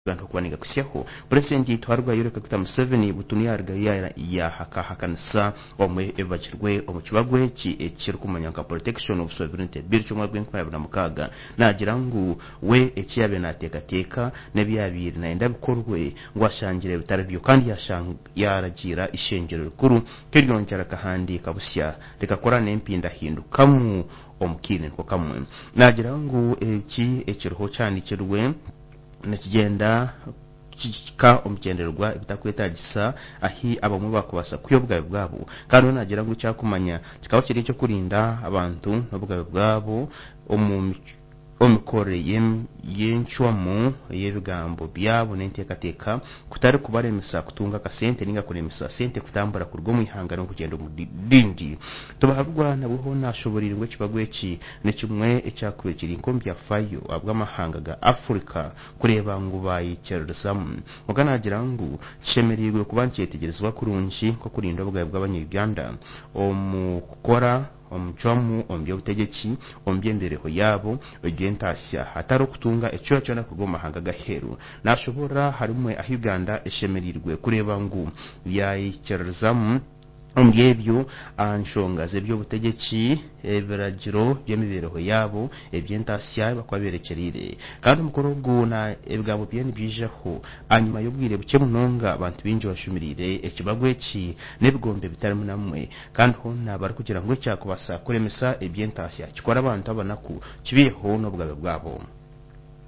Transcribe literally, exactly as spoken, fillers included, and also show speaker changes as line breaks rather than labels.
Okuba nigakusyaho Purezidenti Twaruga Yoweri Kaguta Museveni butunu yaruga yahakahakanisa omwe ebibagirwe omu kibago eki ekirikumanywa nka Protection of Sovereignty Bill ky'omwaka gw'enkumi abiri na mukaaga. Naagira ngu we eki yabaire naateekateeka n'ebi yabaire nayenda bikorwe ngu ashangire bitari byo, kandi yaragiira ishengyero rikuru keryongyera rikahandiika busya rikakora n'empindahindukamu omu kaire niko kamwe. Naagira ngu eki ekiriho kihandiikirwe nikigyenda kihika omu bigyendererwa ebitakwetaagisa ahi abamwe bakubaasa kwiha obugabe bwabo. Kandi we naagira ngu ekyakumanya kikaba kiri eky'okurinda abantu n'obugabe bwabo omu omu mikorere y'encwamu y'ebigambo byabo n'enteekateeka, kutari kubaremesa kutunga akasente ninga kuremesa sente kutambura kuruga omu ihanga n'okugyenda omu rindi. Tubahabirwa nabwo hoona ashoboreire ngu ekibago eki ni kimwe ekyakubaire kiri nk'omu byafaayo ahabw'amahanga ga Africa kureeba ngu bayikiririzamu. Kwonka naagira ngu kishemereirwe kuba nikyetegyerezibwa kurungi nk'okurinda obugabe bw'abanya-Uganda omu kukora omucwamu omu by'obutegyeki, omu by'emibeereho yaabo eby'entaasya, hatari okutunga ekicweka kyona kuruga omu mahanga g'aheeru. Nashoborora harimwe ahu Uganda eshemereirwe kureeba ngu yayikiririzamu omuri ebyo aha nshonga z'eby'obutegyeki, ebiragiro by'emibeereho yaabo eby'entaasya bakuba berekyereire. Kandi omukoro ogu na ebigambo bye nibyijaho ahanyuma y'obwire bukye munonga abantu baingi bashumirire ekibago eki n'ebigombe bitarimu namwe, kandi hoona barikugira ngu ekyakubaasa kuremesa eby'entaasya kikora abantu abanaku kibiiheho n'obugabe bwabo.